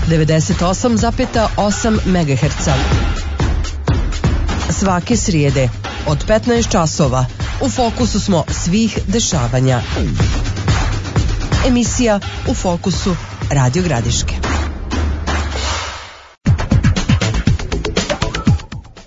98,8 MHz. Svake srijede od 15 časova u fokusu smo svih dešavanja. Emisija U fokusu Radio Gradiške.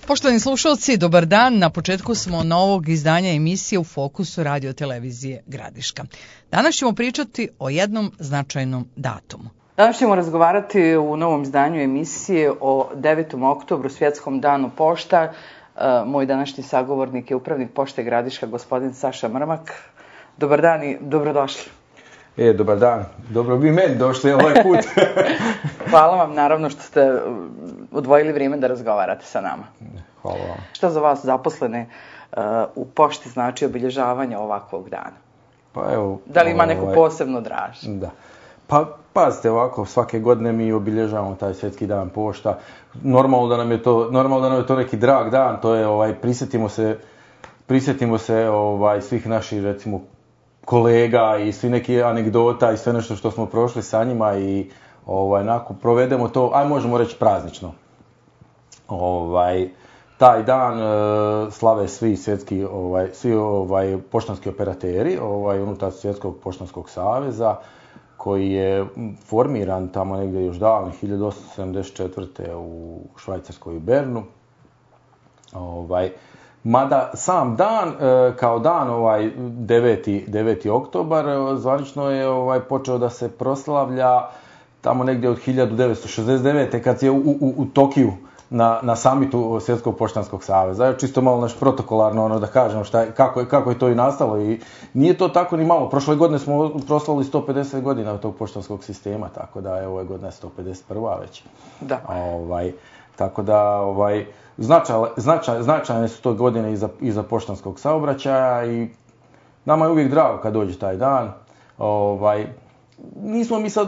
Poštovani slušalci, dobar dan. Na početku smo novog izdanja emisije U fokusu Radio Televizije Gradiška. Danas ćemo pričati o jednom značajnom datumu. Danas ćemo razgovarati u novom izdanju emisije o 9. oktobru, Svjetskom danu pošta. Moj današnji sagovornik je upravnik Pošte Gradiška, gospodin Saša Mrmak. Dobar dan i dobrodošli. Dobar dan. Dobro bi meni došli ovaj put. Hvala vam naravno što ste odvojili vrijeme da razgovarate sa nama. Hvala vam. Šta za vas zaposlene u pošti znači obilježavanje ovakvog dana? Pa evo, da li ima neku posebnu draž? Da. Pa pazite ovako, svake godine mi obilježavamo taj Svjetski dan pošta. Normalno da nam je to neki drag dan, to je prisjetimo se svih naših recimo kolega i svi neki anegdota i sve nešto što smo prošli sa njima i nakon provedemo to, možemo reći praznično. Taj dan slave svi svjetski, svi poštanski operateri unutar Svjetskog poštanskog saveza koji je formiran tamo negdje još davno 1874. u Švajcarskoj Bernu. Mada sam dan, kao dan 9. oktobar, zvanično je počeo da se proslavlja tamo negdje od 1969. kad je u Tokiju na samitu Svjetskog poštanskog saveza. Čisto malo naš protokolarno da kažem kako je to i nastalo i nije to tako ni malo. Prošle godine smo proslavili 150 godina od tog poštanskog sistema, tako da je ove godine 151. već. Da. Tako da značajne su to godine i za poštanskog saobraćaja i nama je uvijek drago kad dođe taj dan. Nismo mi sad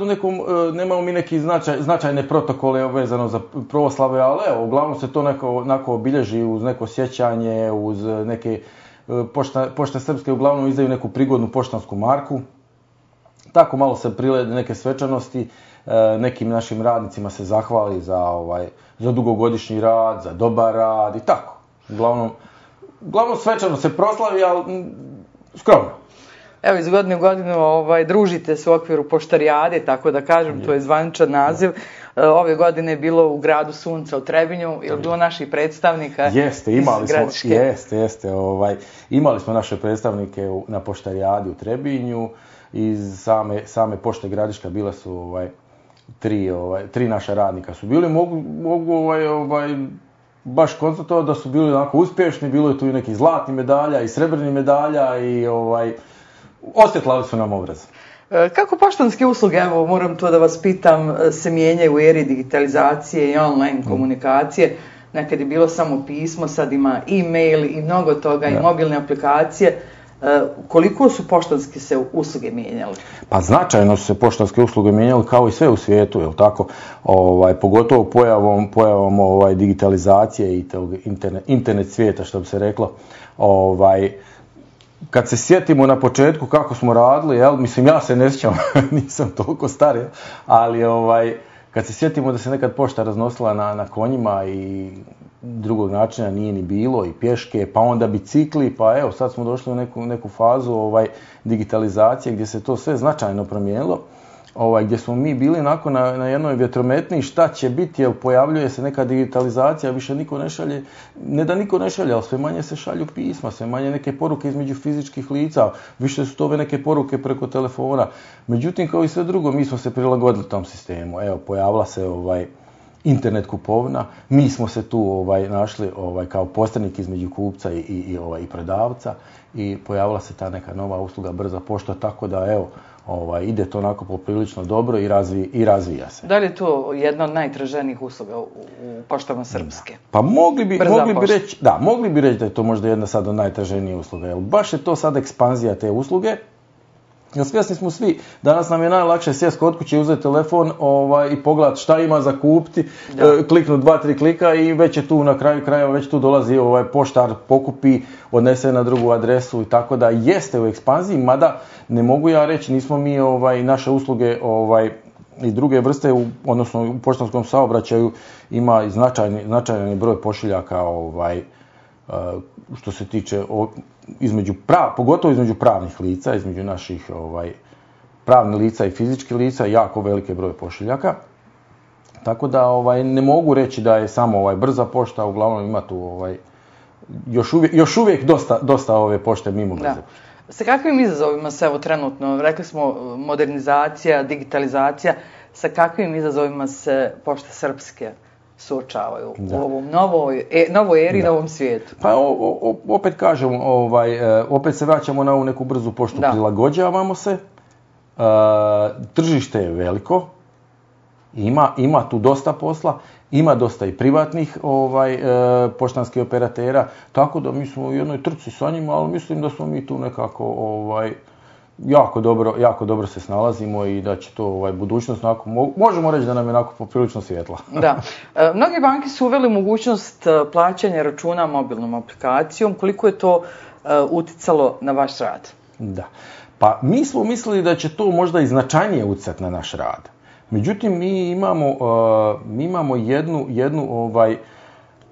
nemamo mi neki značajne protokole vezano za proslave, ali evo, uglavnom se to onako obilježi uz neko sjećanje, uz neke, pošte srpske uglavnom izdaju neku prigodnu poštansku marku. Tako malo se prilede neke svečanosti, nekim našim radnicima se zahvali za dugogodišnji rad, za dobar rad i tako. Uglavnom svečano se proslavi, ali skromno. Evo, iz godine u godinu družite se u okviru poštarijade, tako da kažem, to je zvaničan naziv. Ove godine je bilo u gradu Sunca u Trebinju, je li bilo naših predstavnika? Jeste, imali smo naše predstavnike na poštarijadi u Trebinju. Iz same Pošte Gradiška bile su tri naša radnika su bili. Mogu baš konstatovati da su bili onako uspješni, bilo je tu i nekih zlatnih medalja i srebrnih medalja i osvjetlali su nam obraz. Kako poštanske usluge, evo moram to da vas pitam, se mijenjaju u eri digitalizacije i online komunikacije? Nekad je bilo samo pismo, sad ima e-mail i mnogo toga i mobilne aplikacije. Koliko su poštanske se usluge mijenjale? Pa značajno su se poštanske usluge mijenjale kao i sve u svijetu, jel tako? Pogotovo pojavom digitalizacije i internet svijeta, što bi se reklo. Kad se sjetimo na početku kako smo radili, mislim ja se ne sjećam, nisam toliko star, ali kad se sjetimo da se nekad pošta raznosila na konjima i drugog načina nije ni bilo i pješke, pa onda bicikli, pa evo sad smo došli u neku fazu digitalizacije gdje se to sve značajno promijenilo, gdje smo mi bili na jednoj vjetrometni šta će biti, jer pojavljuje se neka digitalizacija, više niko ne šalje, ne da niko ne šalje, ali sve manje se šalju pisma, sve manje neke poruke između fizičkih lica, više su to neke poruke preko telefona. Međutim, kao i sve drugo, mi smo se prilagodili tom sistemu. Evo, pojavila se internet kupovina, mi smo se tu našli kao posrednik između kupca i prodavca i pojavila se ta neka nova usluga brza pošta, tako da evo, ide to onako poprilično dobro i razvija se. Da li je to jedna od najtraženijih usluga u poštama srpske? Pa mogli bi reći da je to možda jedna sad od najtraženijih usluga, jer baš je to sad ekspanzija te usluge. Jer svjesni smo svi, danas nam je najlakše sjest kod kuće, uzeti telefon i pogledati šta ima za kupiti, kliknuti 2-3 klika i već je tu na kraju krajeva, već tu dolazi poštar, pokupi, odnese na drugu adresu i tako da jeste u ekspanziji, mada ne mogu ja reći, nismo mi naše usluge i druge vrste, odnosno u poštanskom saobraćaju ima i značajni broj pošiljaka, što se tiče pogotovo između pravnih lica, između naših pravnih lica i fizičkih lica, jako velike broj pošiljaka. Tako da ne mogu reći da je samo brza pošta, uglavnom ima tu još uvijek dosta ove pošte mimo brze pošte. Sa kakvim izazovima se trenutno, rekli smo modernizacija, digitalizacija, sa kakvim izazovima se pošte srpske suočavaju u ovom novoj eri, novom svijetu? Pa opet kažem, opet se vraćamo na ovu neku brzu poštu, prilagođavamo se, tržište je veliko, ima tu dosta posla, ima dosta i privatnih poštanskih operatera, tako da mi smo u jednoj trci sa njima, ali mislim da smo mi tu nekako jako dobro se snalazimo i da će to budućnost, možemo reći da nam je onako poprilično svjetla. Da. Mnoge banke su uveli mogućnost plaćanja računa mobilnom aplikacijom. Koliko je to uticalo na vaš rad? Da. Pa mi smo mislili da će to možda i značajnije utjecati na naš rad. Međutim, mi imamo jednu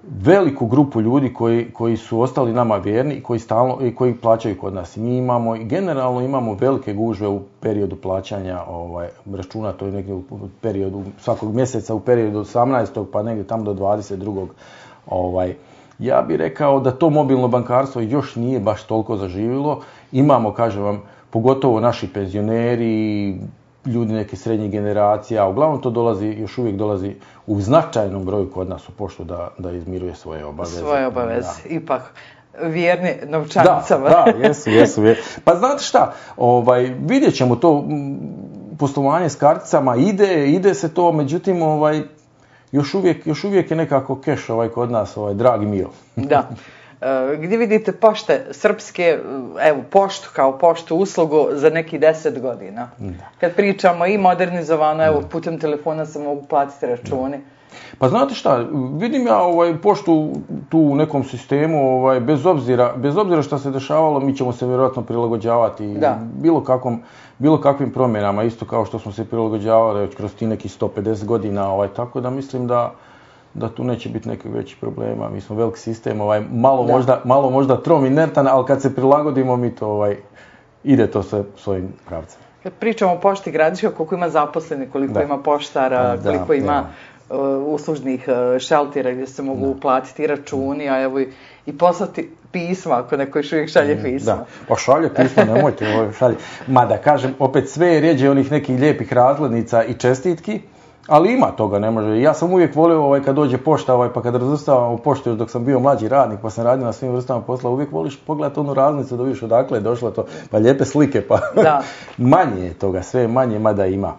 veliku grupu ljudi koji su ostali nama vjerni i koji plaćaju kod nas. Mi generalno imamo velike gužve u periodu plaćanja računa, to je negdje u periodu svakog mjeseca, u periodu od 18. pa negdje tamo do 22. Ja bih rekao da to mobilno bankarstvo još nije baš toliko zaživjelo. Imamo, kažem vam, pogotovo naši penzioneri, ljudi neke srednjih generacija, uglavnom to još uvijek dolazi u značajnom broju kod nas u poštu da izmiruje svoje obaveze. Svoje obaveze, ipak vjerni novčanicama. Da, jesu. Pa znate šta, vidjet ćemo to poslovanje s karticama, ide se to, međutim, još uvijek je nekako keš kod nas, dragi mio. Da. Gdje vidite pošte srpske, poštu kao poštu uslugu za nekih 10 godina? Da. Kad pričamo i modernizovano, putem telefona se mogu platiti računi. Pa znate šta, vidim ja poštu tu u nekom sistemu, bez obzira što se dešavalo, mi ćemo se vjerojatno prilagođavati bilo kakvim promjenama, isto kao što smo se prilagođavali već kroz ti nekih 150 godina, tako da mislim da tu neće biti nekih većih problema. Mi smo veliki sistem, malo možda trom inertan, ali kad se prilagodimo mi to ide to sve svojim pravcem. Kad pričamo o pošti Gradiška, koliko ima zaposlenih, koliko ima poštara, koliko ima uslužnih šaltera gdje se mogu platiti računi, a evo i poslati pisma, ako neko još uvijek šalje pisma. Da, pa šalje pisma, nemojte šalje. Mada kažem, opet sve je rijeđe onih nekih lijepih razglednica i čestitki, ali ima toga, ne može. Ja sam uvijek volio kad dođe pošta, pa kad razvrstavam u poštu, još dok sam bio mlađi radnik, pa sam radio na svim vrstama posla, uvijek voliš pogledati onu raznicu da vidiš odakle je došlo to, pa lijepe slike, pa manje je toga, sve manje, mada ima.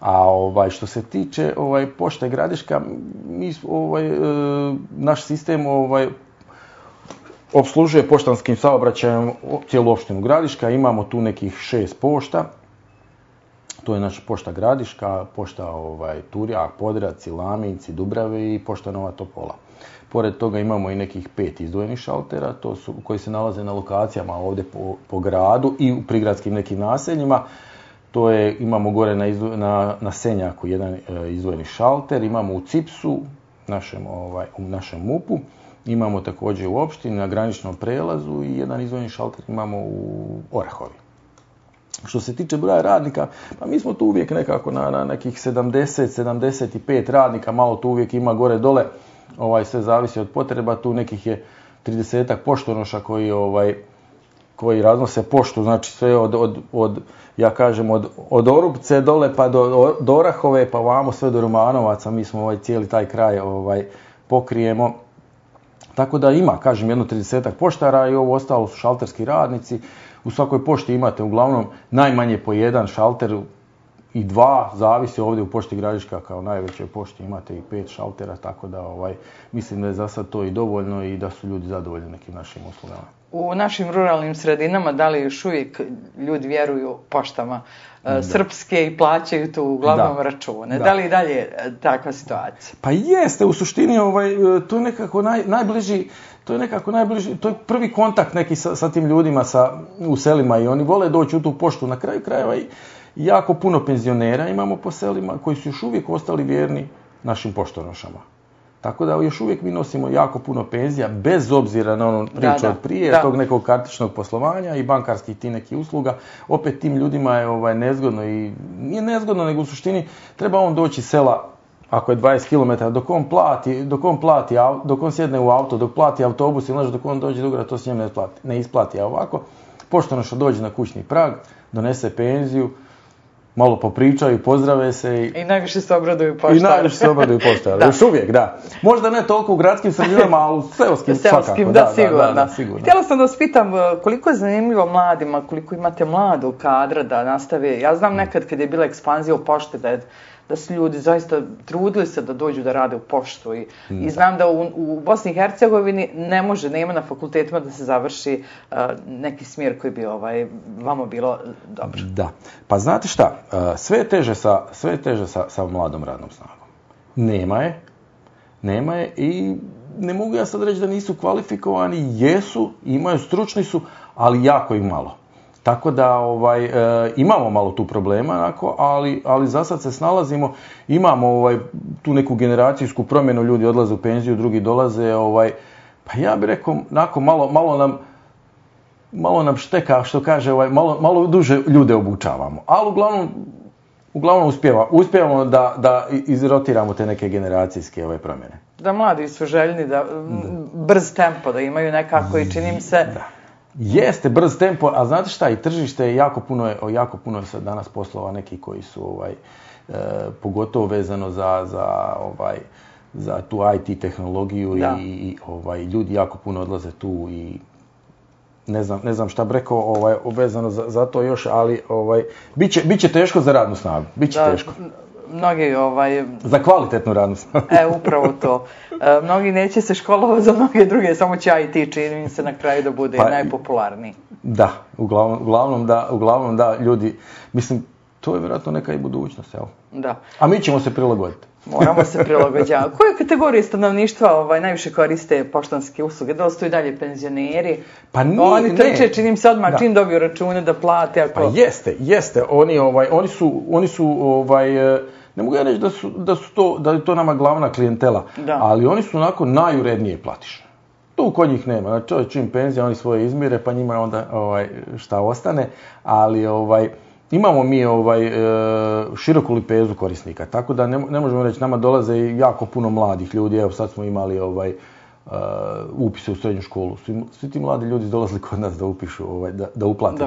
A što se tiče pošte Gradiška, naš sistem opslužuje poštanskim saobraćajem cijelu opštinu Gradiška, imamo tu nekih 6 pošta. To je naša pošta Gradiška, pošta Turjak, Podravci, Laminci, Dubrave i pošta Nova Topola. Pored toga imamo i nekih 5 izdvojenih šaltera, koji se nalaze na lokacijama ovdje po gradu i u prigradskim nekim naseljima. Imamo gore na Senjaku jedan izdvojeni šalter, imamo u Cipsu, u našem MUP-u, imamo također u opštini na graničnom prelazu i jedan izdvojeni šalter imamo u Orahovi. Što se tiče broja radnika, pa mi smo tu uvijek nekako na nekih 70-75 radnika, malo tu uvijek ima gore dole, sve zavisi od potreba, tu nekih je 30-ak poštonoša koji raznose poštu, znači sve od Orupce dole pa do Orahove, pa vamo sve do Romanovaca, mi smo cijeli taj kraj pokrijemo. Tako da ima, jedno 30-ak poštara i ovo ostalo su šalterski radnici. U svakoj pošti imate uglavnom najmanje po jedan šalter i 2, zavisi ovdje u pošti Gradiška kao najvećoj pošti imate i 5 šaltera, tako da mislim da je za sad to i dovoljno i da su ljudi zadovoljni nekim našim uslugama. U našim ruralnim sredinama da li još uvijek ljudi vjeruju poštama srpske i plaćaju tu uglavnom račune? Da li i dalje takva situacija? Pa jeste, u suštini to je nekako najbliži, to je prvi kontakt neki sa tim ljudima u selima i oni vole doći u tu poštu. Na kraju krajeva jako puno penzionera imamo po selima koji su još uvijek ostali vjerni našim poštonošama. Tako da još uvijek mi nosimo jako puno penzija, bez obzira na onu priču od prije, tog nekog kartičnog poslovanja i bankarskih ti nekih usluga. Opet tim ljudima je nezgodno i nije nezgodno, nego u suštini treba on doći sela, ako je 20 km, dok on sjedne u auto, dok plati autobus ili dok on dođe do grada, to se njemu ne isplati. A ovako, poštonoša dođe na kućni prag, donese penziju, malo popričaju, pozdrave se i najviše se obraduju poštari. Još uvijek, da. Možda ne toliko u gradskim sredinama, ali u seoskim svakako. Da, sigurno. Htjela sam da vas pitam koliko je zanimljivo mladima, koliko imate mladog kadra da nastave. Ja znam nekad kad je bila ekspanzija u pošte da su ljudi zaista trudili se da dođu da rade u poštu i znam da u Bosni i Hercegovini nema na fakultetima da se završi neki smjer koji bi vama bilo dobro. Da, pa znate šta, sve je teže sa mladom radnom snagom. Nema je i ne mogu ja sad reći da nisu kvalifikovani, jesu, imaju, stručni su, ali jako ih malo. Tako da imamo malo tu problema, ali za sad se snalazimo, imamo tu neku generacijsku promjenu, ljudi odlaze u penziju, drugi dolaze, pa ja bih rekao, malo nam šteka, što kaže, malo duže ljude obučavamo, ali uglavnom uspijevamo da izrotiramo te neke generacijske promjene. Da mladi su željni, da brz tempo, da imaju nekako i čini mi se... Da. Jeste brz tempo, a znate šta, i tržište je jako puno je sad danas poslova neki koji su pogotovo vezano za tu IT tehnologiju i ljudi jako puno odlaze tu i ne znam šta bi rekao vezano za to još, ali bit će teško za radnu snagu, bit će teško. Mnogi za kvalitetnu radnu snagu. Upravo to. Mnogi neće se školovati za mnoge druge, samo će IT čini se na kraju da bude najpopularniji. Da, uglavnom da, ljudi, mislim, to je vjerojatno neka i budućnost, jel? Da. A mi ćemo se prilagoditi. Moramo se prilagođavati. Koje kategorije stanovništva najviše koriste poštanske usluge? Da li su i dalje penzioneri? Pa nije, oni trče, čini se odmah čim dobiju račune da plate. Pa jeste. Oni su ne mogu ja reći da je to nama glavna klijentela, ali oni su onako najurednije platiše. Tu kod njih nema. Znači, čim penzija, oni svoje izmire, pa njima onda šta ostane, ali imamo mi široku lipezu korisnika, tako da ne možemo reći, nama dolaze jako puno mladih ljudi, evo sad smo imali upise u srednju školu, svi ti mladi ljudi dolazili kod nas da upišu, da uplate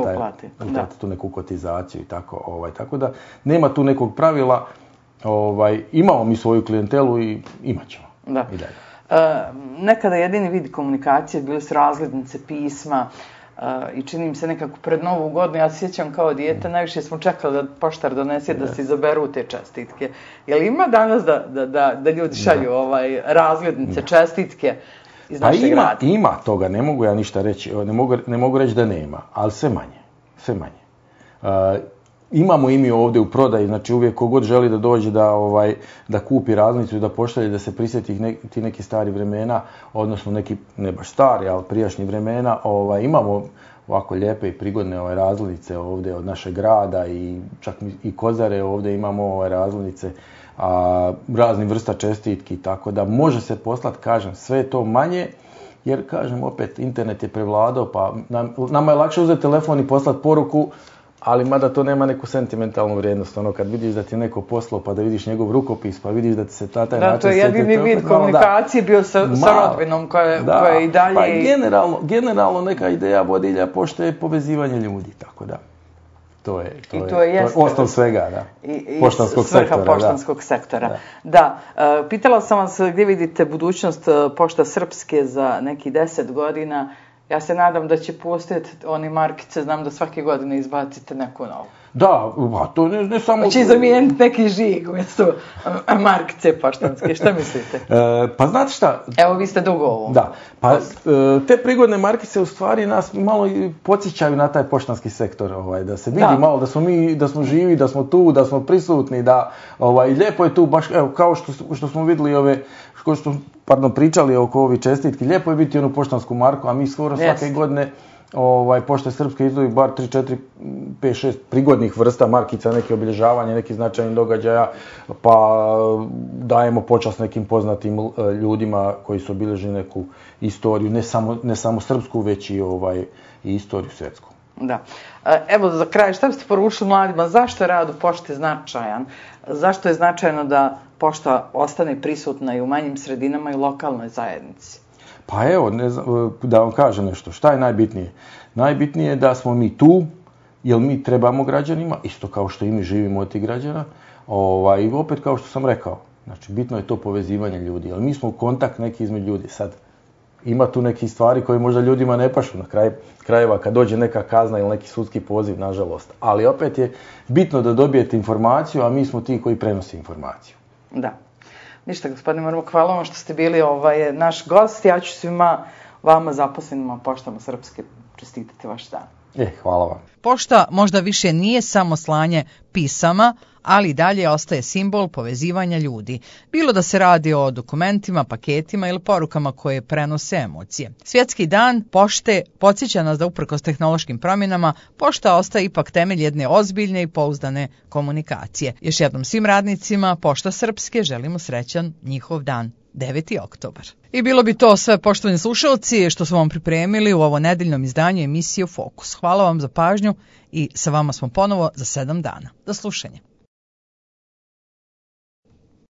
tu neku kotizaciju i tako da nema tu nekog pravila, imamo mi svoju klijentelu i imat ćemo i dalje. Nekada jedini vid komunikacije bili su razglednice, pisma, i čini mi se nekako pred Novu godinu, ja se sjećam kao dijete, najviše smo čekali da poštar donese da se izaberu te čestitke. Je li ima danas da ljudi šalju razglednice, čestitke iz našeg grada? Ima toga, ne mogu ja ništa reći, ne mogu reći da nema, ali sve manje. Imamo i mi ovdje u prodaji, znači uvijek kogod želi da dođe da kupi razglednicu i da pošalje, da se prisjeti ti neki stari vremena, odnosno neki, ne baš stari, ali prijašnji vremena, imamo ovako lijepe i prigodne razglednice ovdje od našeg grada i čak i Kozare ovdje imamo razglednice, raznih vrsta čestitki, tako da može se poslati, kažem, sve je to manje, jer, kažem, opet, internet je prevladao, pa nama je lakše uzeti telefon i poslati poruku, ali mada to nema neku sentimentalnu vrijednost, kad vidiš da ti je neko poslao, pa da vidiš njegov rukopis, pa vidiš da ti se taj način... Da, to je jedini vid komunikacije bio sa rodbinom koja je i dalje... Pa generalno neka ideja vodilja pošte je povezivanje ljudi, tako da. To je osnov svega, da. Poštanskog sektora. Svrha poštanskog sektora. Da. Pitala sam vas gdje vidite budućnost Pošta Srpske za neki 10 godina. Ja se nadam da će postojati one markice, znam da svake godine izbacite neku novu. Da, to ne samo... Hoće zamijeniti neki žig umjesto markice poštanske, šta mislite? Pa znate šta? Evo, vi ste dugo ovo. Da, pa te prigodne markice u stvari nas malo podsjećaju na taj poštanski sektor, da se vidi malo da smo živi, da smo tu, da smo prisutni, da lijepo je tu, baš evo, kao što smo vidjeli pričali oko ovih čestitki, lijepo je biti onu poštansku marku, a mi skoro svake godine Pošta Srpska izdvoji bar 3, 4, 5, 6 prigodnih vrsta markica, neke obilježavanja, neki značajni događaja, pa dajemo počast nekim poznatim ljudima koji su obilježili neku istoriju, ne samo srpsku, već i istoriju svjetsku. Da. Evo za kraj, šta biste poručili mladima, zašto je rad u pošti značajan? Zašto je značajno da pošta ostane prisutna i u manjim sredinama i u lokalnoj zajednici? Pa evo, da vam kažem nešto, šta je najbitnije? Najbitnije je da smo mi tu, jer mi trebamo građanima, isto kao što i mi živimo od tih građana, i opet kao što sam rekao, znači bitno je to povezivanje ljudi, jer mi smo u kontakt neki između ljudi. Sad, ima tu nekih stvari koje možda ljudima ne pašu na krajeva kad dođe neka kazna ili neki sudski poziv, nažalost. Ali opet je bitno da dobijete informaciju, a mi smo ti koji prenose informaciju. Da. Ništa, gospodine Mrmuk, hvala vam što ste bili naš gost. Ja ću svima vama zaposlenima poštama Srpske čestitati vaš dan. Hvala vam. Pošta možda više nije samo slanje pisama, ali i dalje ostaje simbol povezivanja ljudi. Bilo da se radi o dokumentima, paketima ili porukama koje prenose emocije. Svjetski dan pošte podsjeća nas da uprkos tehnološkim promjenama, pošta ostaje ipak temelj jedne ozbiljne i pouzdane komunikacije. Još jednom svim radnicima Pošta Srpske želimo srećan njihov dan. 9. oktobar. I bilo bi to sve, poštovani slušalci, što smo vam pripremili u ovo nedeljnom izdanju emisije Fokus. Hvala vam za pažnju i sa vama smo ponovo za 7 dana. Do slušanja.